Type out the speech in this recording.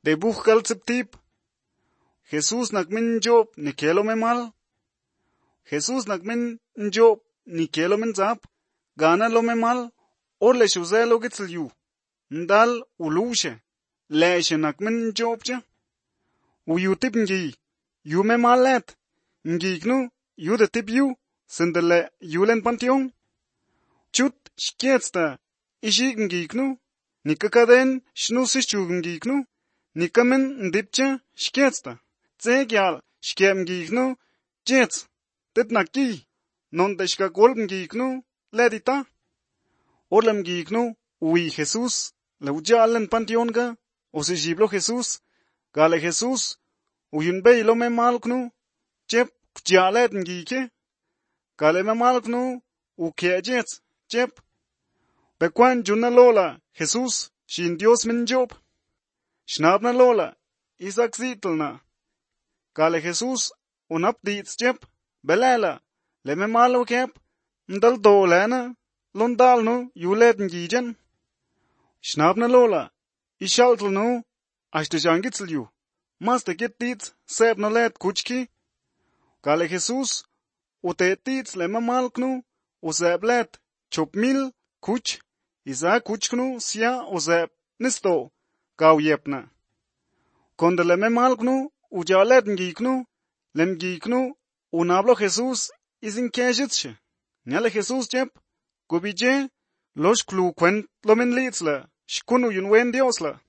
de bujkal tsiptip. Jesús nakmin job ni kelo me mal. Jesús nakmin job ni kelo men zap. Gana lo me mal. Orle shuze lo gitzel yu. Ndal ulushe. Leeshe nakmin job ja. Uyu tip ngi. Yu me mal let. Ngi knu yu de tip yu. Sindele yulen pantiong. Chut shkietsta. Ishig ngi knu. Nikakaden shnusishu ngi knu. Nikamen ndipcha shkietsta. Tsegyal shkiem ngi knu. Jets. Tit nakki. Non de shka golb ngi knu. Ledita. Orlem ngi knu. Ui Jesús. La ujalen pantiong ga. Ose jiblo Jesús. Gale Jesús. Uyun be lo me mal knu. Chep kjalet ngi ke. Gale me mal knu. Uke jets. Chep. Bekwan junna lola. Jesús. Shin Dios min job. Schnabna lola. Isaac zitelna. Gale Jesús. Unap diits chep. Belela. Le me malo kep. Ndal dolena. Londal no. Yulet ngijen. Schnabna lola. Ishaltel no. Ashte jangitzel yu. Maste get diits. Seb no let kuchki. Gale Jesús. Ute diits le me malknu. Useb let. Chop mil. Kuch. Isa kuchknu. Sia useb. Nisto. Gau yepna. Konde le me malknu. Ujalet ngiknu. Lem ngiknu. Unablo Jesús. Isin kejitsche. Nyale Jesús jep. Gubije. Losh klu kwent lo men litzla. Shkunu yun wen Diosla.